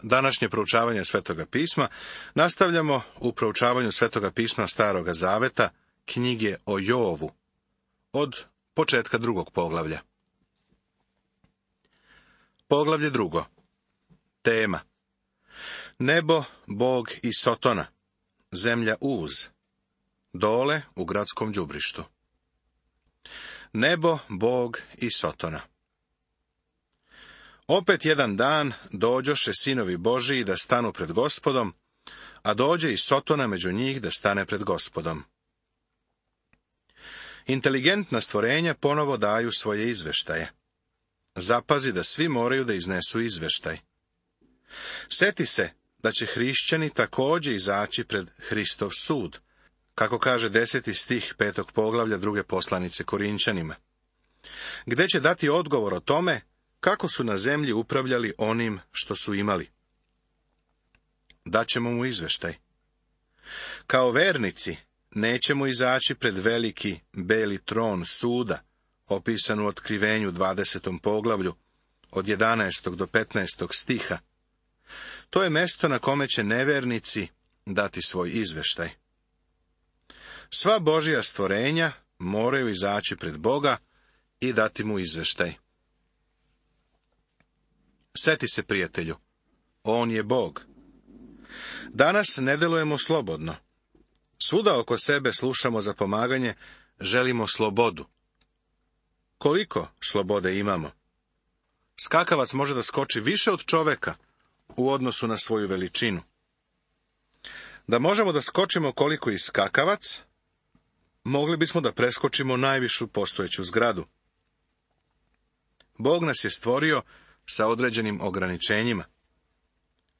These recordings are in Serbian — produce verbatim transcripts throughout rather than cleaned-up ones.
današnje proučavanje Svetoga pisma nastavljamo u proučavanju Svetoga pisma Staroga zaveta, knjige o Jovu, od početka drugog poglavlja. Poglavlje drugo. Tema: Nebo, Bog i Sotona, zemlja Uz, dole u gradskom đubrištu. Nebo, Bog i Sotona. Opet jedan dan dođoše sinovi Božiji da stanu pred Gospodom, a dođe i Sotona među njih da stane pred Gospodom. Inteligentna stvorenja ponovo daju svoje izveštaje. Zapazi da svi moraju da iznesu izveštaj. Seti se da će hrišćani također izaći pred Hristov sud, kako kaže deseti stih petog poglavlja druge poslanice Korinčanima, gde će dati odgovor o tome kako su na zemlji upravljali onim što su imali. Daćemo mu izveštaj. Kao vernici nećemo izaći pred veliki beli tron suda, opisan u Otkrivenju dvadesetom poglavlju, od jedanaestog do petnaestog stiha. To je mesto na kome će nevernici dati svoj izveštaj. Sva Božja stvorenja moraju izaći pred Boga i dati mu izveštaj. Seti se, prijatelju, on je Bog. Danas ne delujemo slobodno. Svuda oko sebe slušamo za pomaganje, želimo slobodu. Koliko slobode imamo? Skakavac može da skoči više od čoveka u odnosu na svoju veličinu. Da možemo da skočimo koliko i skakavac, mogli bismo da preskočimo najvišu postojeću zgradu. Bog nas je stvorio sa određenim ograničenjima.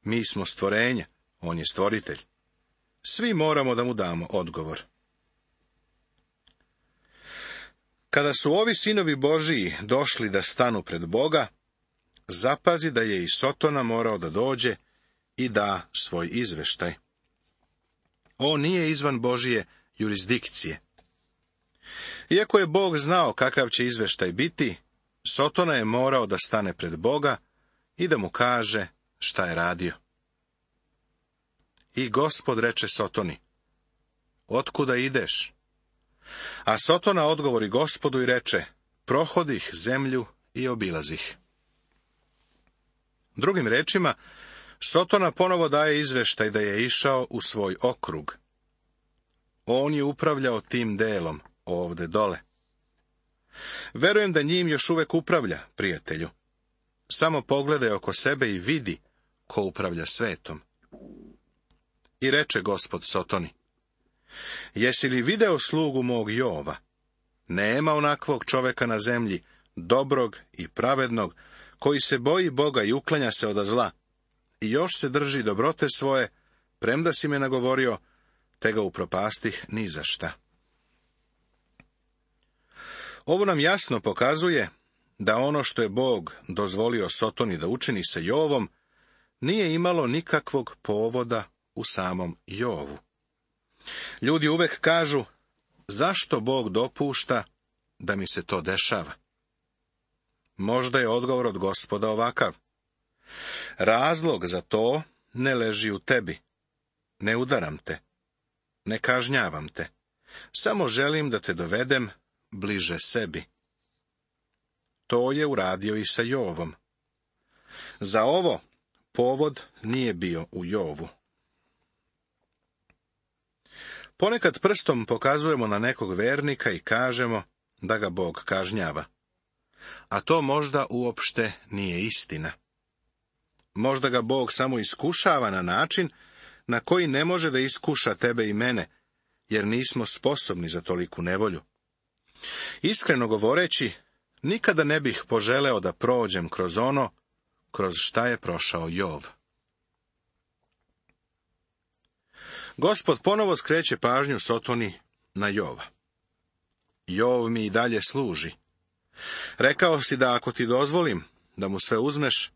Mi smo stvorenja, on je stvoritelj. Svi moramo da mu damo odgovor. Kada su ovi sinovi Božiji došli da stanu pred Boga, zapazi da je i Sotona morao da dođe i da svoj izveštaj. On nije izvan Božije jurisdikcije. Iako je Bog znao kakav će izveštaj biti, Sotona je morao da stane pred Boga i da mu kaže šta je radio. I Gospod reče Sotoni: Otkuda ideš? A Sotona odgovori Gospodu i reče: Prohodih zemlju i obilazih. Drugim rečima, Sotona ponovo daje izveštaj da je išao u svoj okrug. On je upravljao tim delom, ovde dole. Verujem da njim još uvek upravlja, prijatelju. Samo pogledaj oko sebe i vidi ko upravlja svetom. I reče Gospod Sotoni: Jesi li video slugu mog Jova? Nema onakvog čoveka na zemlji, dobrog i pravednog, koji se boji Boga i uklanja se od zla, i još se drži dobrote svoje, premda si me nagovorio, te ga upropastih ni za šta. Ovo nam jasno pokazuje da ono što je Bog dozvolio Sotoni da učini sa Jovom, nije imalo nikakvog povoda u samom Jovu. Ljudi uvek kažu: zašto Bog dopušta da mi se to dešava? Možda je odgovor od Gospoda ovakav: razlog za to ne leži u tebi. Ne udaram te, ne kažnjavam te, samo želim da te dovedem bliže sebi. To je uradio i sa Jovom. Za ovo povod nije bio u Jovu. Ponekad prstom pokazujemo na nekog vernika i kažemo da ga Bog kažnjava. A to možda uopšte nije istina. Možda ga Bog samo iskušava na način na koji ne može da iskuša tebe i mene, jer nismo sposobni za toliku nevolju. Iskreno govoreći, nikada ne bih poželeo da prođem kroz ono kroz šta je prošao Jov. Gospod ponovo skreće pažnju Sotoni na Jova. Jov mi i dalje služi. Rekao si da ako ti dozvolim da mu sve uzmeš,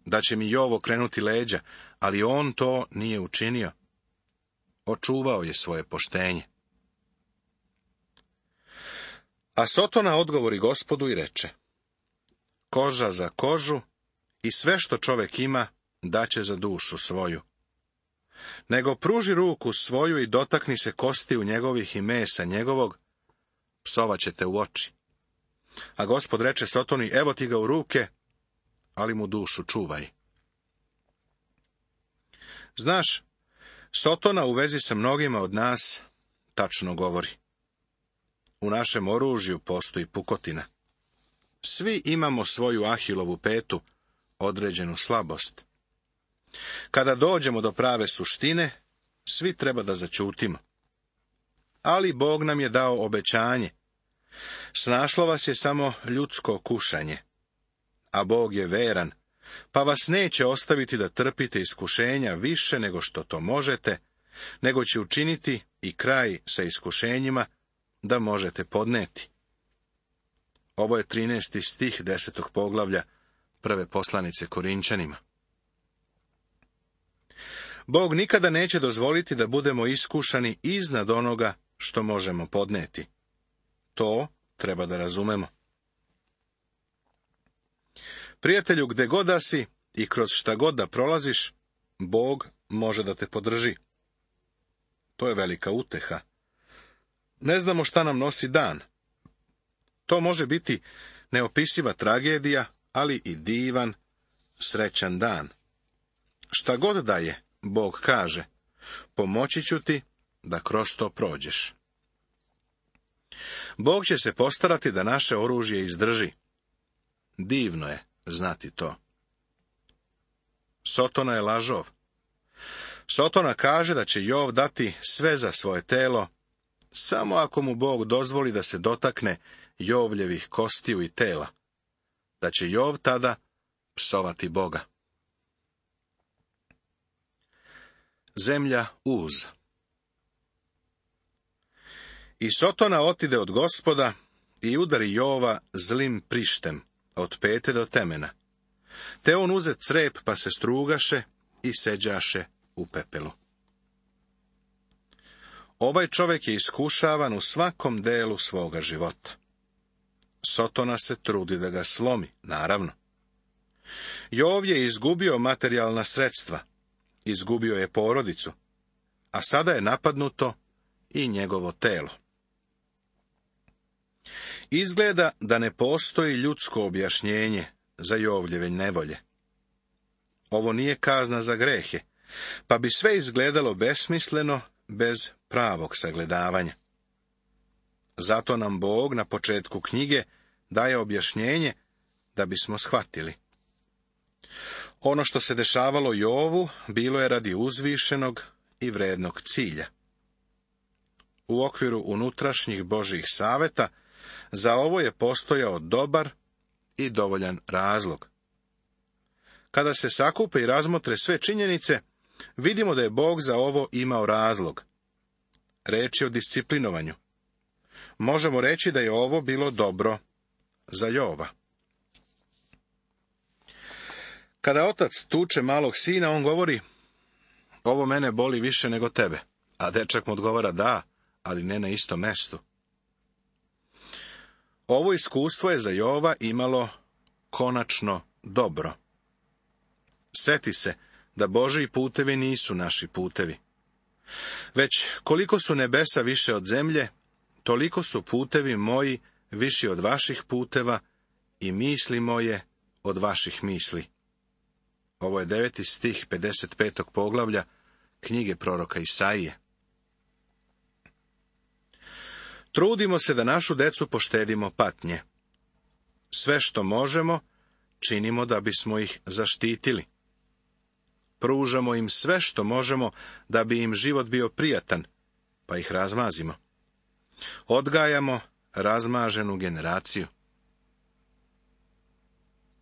da će mi Jov okrenuti leđa, ali on to nije učinio. Očuvao je svoje poštenje. A Sotona odgovori Gospodu i reče: koža za kožu i sve što čovek ima daće za dušu svoju. Nego pruži ruku svoju i dotakni se kostiju njegovih i mesa njegovog, psovaće te u oči. A Gospod reče Sotoni, evo ti ga u ruke, ali mu dušu čuvaj. Znaš, Sotona u vezi sa mnogima od nas tačno govori. U našem oružju postoji pukotina. Svi imamo svoju Ahilovu petu, određenu slabost. Kada dođemo do prave suštine, svi treba da zaćutimo. Ali Bog nam je dao obećanje. Snašlo vas je samo ljudsko kušanje. A Bog je veran, pa vas neće ostaviti da trpite iskušenja više nego što to možete, nego će učiniti i kraj sa iskušenjima da možete podneti. Ovo je trinaesti stih desetog poglavlja prve poslanice Korinčanima. Bog nikada neće dozvoliti da budemo iskušani iznad onoga što možemo podneti. To treba da razumemo. Prijatelju, gde god da si i kroz šta god da prolaziš, Bog može da te podrži. To je velika uteha. Ne znamo šta nam nosi dan. To može biti neopisiva tragedija, ali i divan, srećan dan. Šta god da je, Bog kaže, pomoći ću ti da kroz to prođeš. Bog će se postarati da naše oružje izdrži. Divno je znati to. Sotona je lažov. Sotona kaže da će Jov dati sve za svoje telo, samo ako mu Bog dozvoli da se dotakne Jovljevih kostiju i tela, da će Jov tada psovati Boga. Zemlja Uz. I Sotona otide od Gospoda i udari Jova zlim prištem, od pete do temena. Te on uze crep, pa se strugaše i seđaše u pepelu. Ovaj čovjek je iskušavan u svakom delu svoga života. Sotona se trudi da ga slomi, naravno. Jov je izgubio materijalna sredstva, izgubio je porodicu, a sada je napadnuto i njegovo telo. Izgleda da ne postoji ljudsko objašnjenje za Jovljeve nevolje. Ovo nije kazna za grehe, pa bi sve izgledalo besmisleno bez pravog sagledavanja. Zato nam Bog na početku knjige daje objašnjenje da bismo shvatili. Ono što se dešavalo Jovu bilo je radi uzvišenog i vrednog cilja. U okviru unutrašnjih Božjih saveta za ovo je postojao dobar i dovoljan razlog. Kada se sakupe i razmotre sve činjenice, vidimo da je Bog za ovo imao razlog. Reč je o disciplinovanju. Možemo reći da je ovo bilo dobro za Jova. Kada otac tuče malog sina, on govori, ovo mene boli više nego tebe. A dečak mu odgovara, da, ali ne na istom mestu. Ovo iskustvo je za Jova imalo konačno dobro. Seti se da Božji putevi nisu naši putevi. Već koliko su nebesa više od zemlje, toliko su putevi moji viši od vaših puteva i misli moje od vaših misli. Ovo je deveti stih pedeset petog poglavlja knjige proroka Isaije. Trudimo se da našu decu poštedimo patnje. Sve što možemo, činimo da bismo ih zaštitili. Pružamo im sve što možemo da bi im život bio prijatan, pa ih razmazimo. Odgajamo razmaženu generaciju.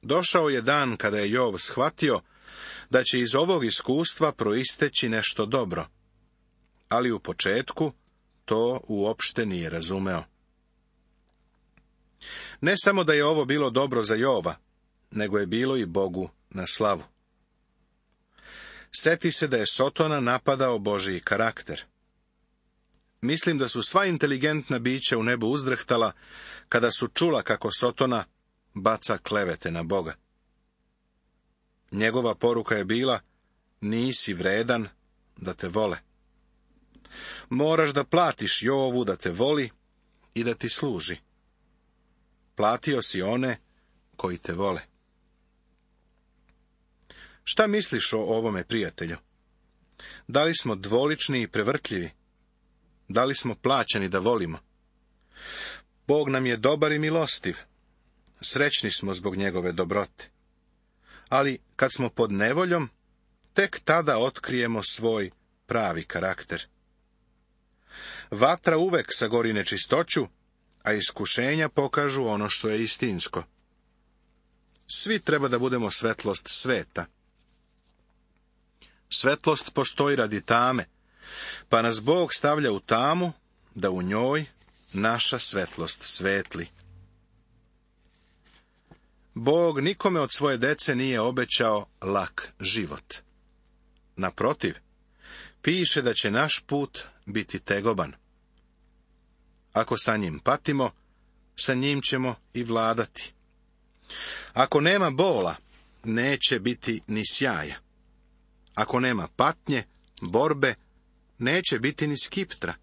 Došao je dan kada je Jov shvatio da će iz ovog iskustva proisteći nešto dobro, ali u početku to uopšte nije razumeo. Ne samo da je ovo bilo dobro za Jova, nego je bilo i Bogu na slavu. Seti se da je Sotona napadao Božji karakter. Mislim da su sva inteligentna bića u nebu uzdrhtala kada su čula kako Sotona baca klevete na Boga. Njegova poruka je bila, nisi vredan da te vole. Moraš da platiš Jovu da te voli i da ti služi. Platio si one koji te vole. Šta misliš o ovome, prijatelju? Da li smo dvolični i prevrtljivi? Da li smo plaćeni da volimo? Bog nam je dobar i milostiv. Srećni smo zbog njegove dobrote. Ali kad smo pod nevoljom, tek tada otkrijemo svoj pravi karakter. Vatra uvek sagori nečistoću, a iskušenja pokažu ono što je istinsko. Svi treba da budemo svetlost sveta. Svetlost postoji radi tame, pa nas Bog stavlja u tamu, da u njoj naša svetlost svetli. Bog nikome od svoje dece nije obećao lak život. Naprotiv, piše da će naš put biti tegoban. Ako sa njim patimo, sa njim ćemo i vladati. Ako nema bola, neće biti ni sjaja. Ako nema patnje, borbe, neće biti ni skiptra.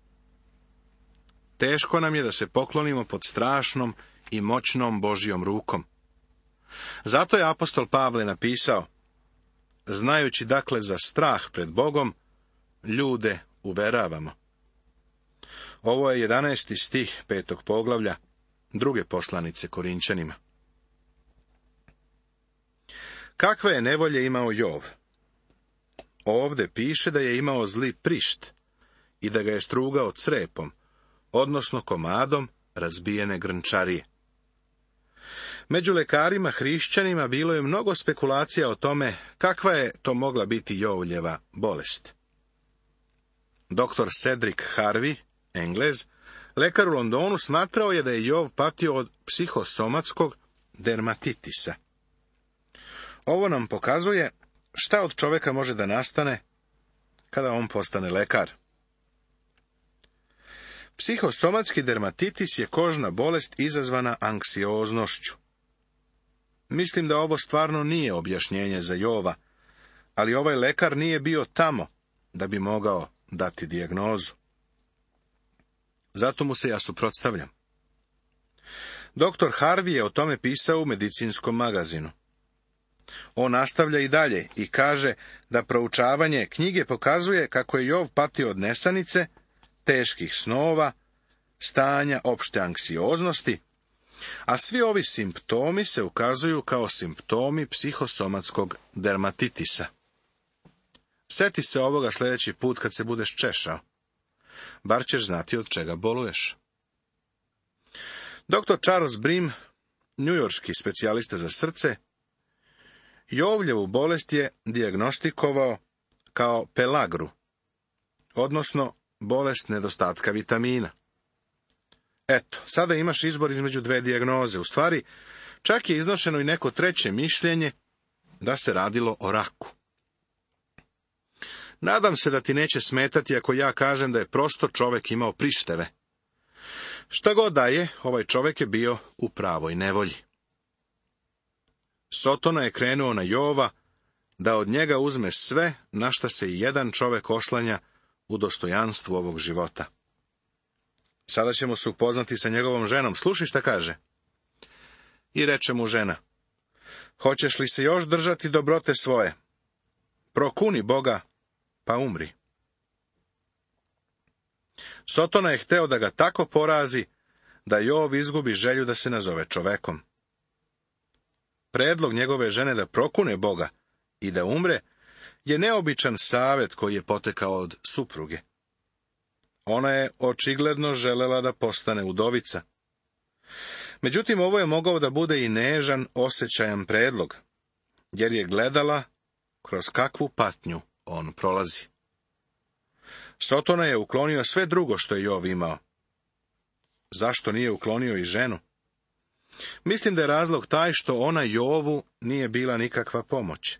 Teško nam je da se poklonimo pod strašnom i moćnom Božjom rukom. Zato je apostol Pavle napisao, znajući dakle za strah pred Bogom, ljude uveravamo. Ovo je jedanaesti stih petog poglavlja druge poslanice Korinčanima. Kakve je nevolje imao Jov? Ovde piše da je imao zli prišt i da ga je strugao crepom, odnosno komadom razbijene grnčarije. Među lekarima hrišćanima bilo je mnogo spekulacija o tome kakva je to mogla biti Jovljeva bolest. Doktor Cedric Harvey, Englez, lekar u Londonu, smatrao je da je Jov patio od psihosomatskog dermatitisa. Ovo nam pokazuje šta od čoveka može da nastane kada on postane lekar. Psihosomatski dermatitis je kožna bolest izazvana anksioznošću. Mislim da ovo stvarno nije objašnjenje za Jova, ali ovaj lekar nije bio tamo da bi mogao dati dijagnozu. Zato mu se ja suprotstavljam. Doktor Harvey je o tome pisao u medicinskom magazinu. On nastavlja i dalje i kaže da proučavanje knjige pokazuje kako je Jov patio od nesanice, teških snova, stanja opšte anksioznosti, a svi ovi simptomi se ukazuju kao simptomi psihosomatskog dermatitisa. Seti se ovoga sljedeći put kad se budeš češao. Bar ćeš znati od čega boluješ. doktor Charles Brim, njujorški specijalista za srce, Jovljevu bolest je dijagnostikovao kao pelagru, odnosno bolest nedostatka vitamina. Eto, sada imaš izbor između dve dijagnoze. U stvari, čak je iznošeno i neko treće mišljenje da se radilo o raku. Nadam se da ti neće smetati ako ja kažem da je prosto čovek imao prišteve. Šta god da je, ovaj čovek je bio u pravoj nevolji. Sotona je krenuo na Jova da od njega uzme sve na šta se i jedan čovek oslanja u dostojanstvu ovog života. Sada ćemo se upoznati sa njegovom ženom. Slušaj šta kaže. I reče mu žena, hoćeš li se još držati dobrote svoje? Prokuni Boga, pa umri. Sotona je hteo da ga tako porazi, da Jov izgubi želju da se nazove čovekom. Predlog njegove žene da prokune Boga i da umre je neobičan savet koji je potekao od supruge. Ona je očigledno želela da postane udovica. Međutim, ovo je mogao da bude i nežan, osjećajan predlog, jer je gledala kroz kakvu patnju on prolazi. Sotona je uklonio sve drugo što je Jov imao. Zašto nije uklonio i ženu? Mislim da je razlog taj što ona Jovu nije bila nikakva pomoć.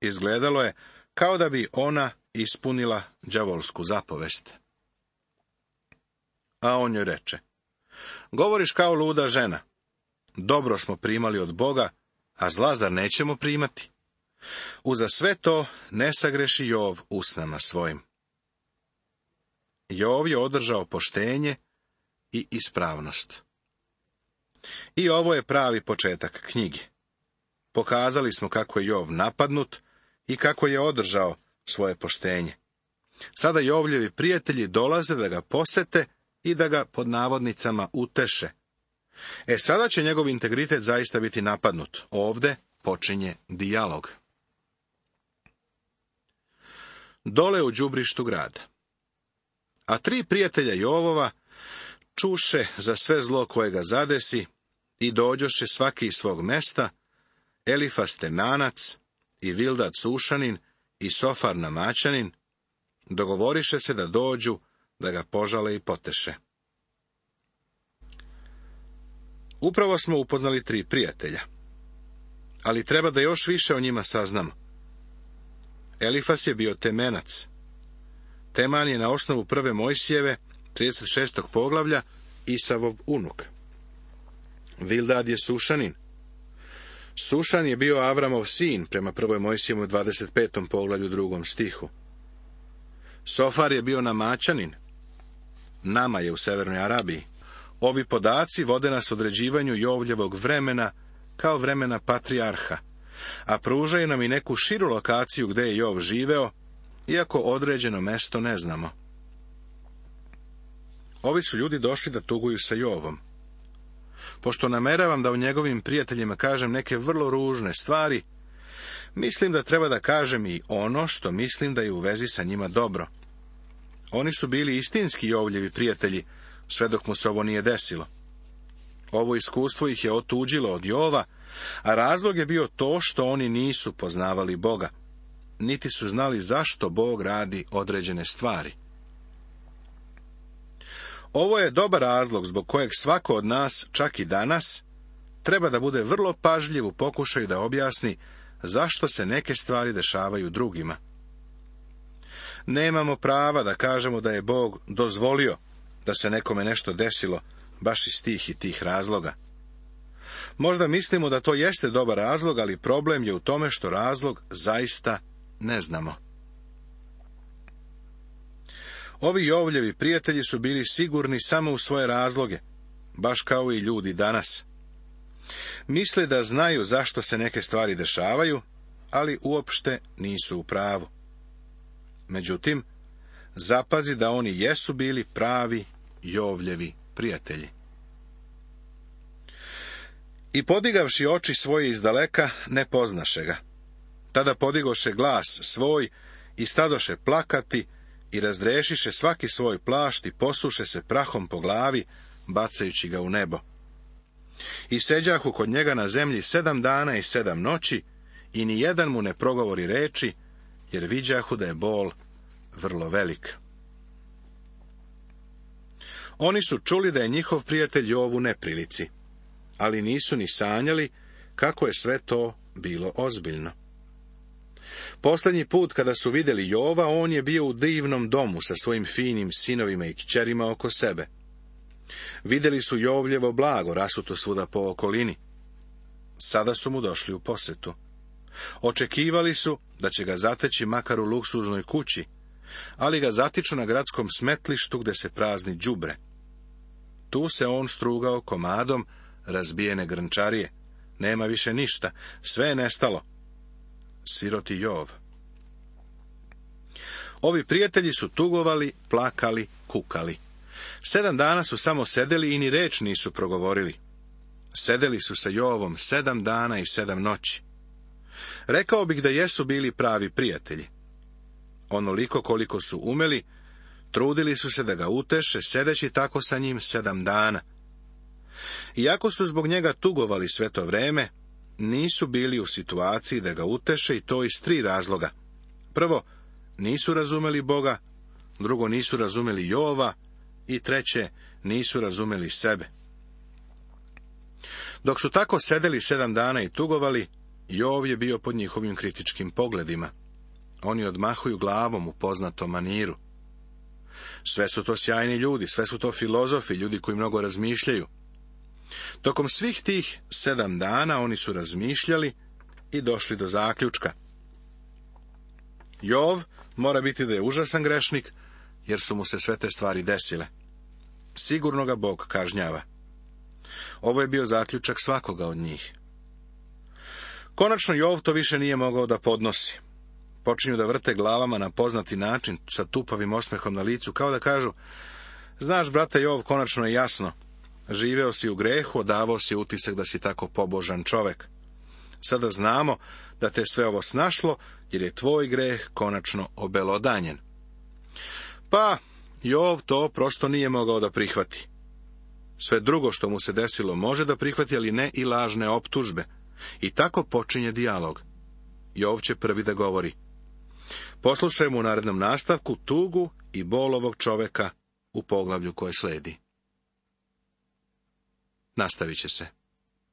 Izgledalo je kao da bi ona ispunila đavolsku zapovest. A on joj reče, govoriš kao luda žena. Dobro smo primali od Boga, a zla zar nećemo primati? Uza sve to ne sagreši Jov usnama svojim. Jov je održao poštenje i ispravnost. I ovo je pravi početak knjige. Pokazali smo kako je Jov napadnut i kako je održao svoje poštenje. Sada Jovljevi prijatelji dolaze da ga posete i da ga pod navodnicama uteše. E sada će njegov integritet zaista biti napadnut. Ovde počinje dijalog. Dole u đubrištu grada. A tri prijatelja Jovova čuše za sve zlo koje ga zadesi i dođoše svaki iz svog mesta, Elifas Temanac i Bildad Sušanin i Sofar Namaćanin, dogovoriše se da dođu, da ga požale i poteše. Upravo smo upoznali tri prijatelja, ali treba da još više o njima saznamo. Elifas je bio Temenac. Teman je na osnovu prve Mojsijeve, trideset šestog poglavlja, Isavov unuk. Bildad je Sušanin. Sušan je bio Avramov sin, prema prvoj Mojsijevu dvadeset petom poglavlju drugom stihu. Sofar je bio Namaćanin. Nama je u severnoj Arabiji. Ovi podaci vode nas određivanju Jovljevog vremena kao vremena patrijarha, a pružaju nam i neku širu lokaciju gde je Jov živeo, iako određeno mesto ne znamo. Ovi su ljudi došli da tuguju sa Jovom. Pošto nameravam da o njegovim prijateljima kažem neke vrlo ružne stvari, mislim da treba da kažem i ono što mislim da je u vezi sa njima dobro. Oni su bili istinski Jovljevi prijatelji, sve dok mu se ovo nije desilo. Ovo iskustvo ih je otuđilo od Jova, a razlog je bio to što oni nisu poznavali Boga, niti su znali zašto Bog radi određene stvari. Ovo je dobar razlog zbog kojeg svako od nas, čak i danas, treba da bude vrlo pažljiv u pokušaju da objasni zašto se neke stvari dešavaju drugima. Nemamo prava da kažemo da je Bog dozvolio da se nekome nešto desilo, baš iz tih i tih razloga. Možda mislimo da to jeste dobar razlog, ali problem je u tome što razlog zaista ne znamo. Ovi Jovljevi prijatelji su bili sigurni samo u svoje razloge, baš kao i ljudi danas. Misle da znaju zašto se neke stvari dešavaju, ali uopšte nisu u pravu. Međutim, zapazi da oni jesu bili pravi Jovljevi prijatelji. I podigavši oči svoje izdaleka, ne poznaše ga. Tada podigoše glas svoj i stadoše plakati i razdrešiše svaki svoj plašt i posuše se prahom po glavi, bacajući ga u nebo. I seđahu kod njega na zemlji sedam dana i sedam noći, i ni jedan mu ne progovori reči, jer viđahu da je bol vrlo velik. Oni su čuli da je njihov prijatelj Jov u neprilici, ali nisu ni sanjali kako je sve to bilo ozbiljno. Posljednji put kada su vidjeli Jova, on je bio u divnom domu sa svojim finim sinovima i kćerima oko sebe. Vidjeli su Jovljevo blago rasuto svuda po okolini. Sada su mu došli u posetu. Očekivali su da će ga zateći makar u luksuznoj kući, ali ga zatiču na gradskom smetlištu gde se prazni đubre. Tu se on strugao komadom razbijene grnčarije. Nema više ništa, sve je nestalo. Siroti Jov. Ovi prijatelji su tugovali, plakali, kukali. Sedam dana su samo sedeli i ni reč nisu progovorili. Sedeli su sa Jovom sedam dana i sedam noći. Rekao bih da jesu bili pravi prijatelji. Onoliko koliko su umeli, trudili su se da ga uteše, sedeći tako sa njim sedam dana. Iako su zbog njega tugovali sve to vreme, nisu bili u situaciji da ga uteše, i to iz tri razloga. Prvo, nisu razumeli Boga, drugo, nisu razumeli Jova, i treće, nisu razumeli sebe. Dok su tako sedeli sedam dana i tugovali, Jov je bio pod njihovim kritičkim pogledima. Oni odmahuju glavom u poznatom maniru. Sve su to sjajni ljudi, sve su to filozofi, ljudi koji mnogo razmišljaju. Tokom svih tih sedam dana oni su razmišljali i došli do zaključka. Jov mora biti da je užasan grešnik, jer su mu se sve te stvari desile. Sigurno ga Bog kažnjava. Ovo je bio zaključak svakoga od njih. Konačno Jov to više nije mogao da podnosi. Počinju da vrte glavama na poznati način, sa tupavim osmehom na licu, kao da kažu: znaš, brate Jov, konačno je jasno. Živeo si u grehu, odavao si utisak da si tako pobožan čovek. Sada znamo da te sve ovo snašlo, jer je tvoj greh konačno obelodanjen. Pa, Jov to prosto nije mogao da prihvati. Sve drugo što mu se desilo može da prihvati, ali ne i lažne optužbe. I tako počinje dijalog. Jov će prvi da govori. Poslušajmo u narednom nastavku tugu i bol ovog čoveka u poglavlju koje sledi. Nastavit će se.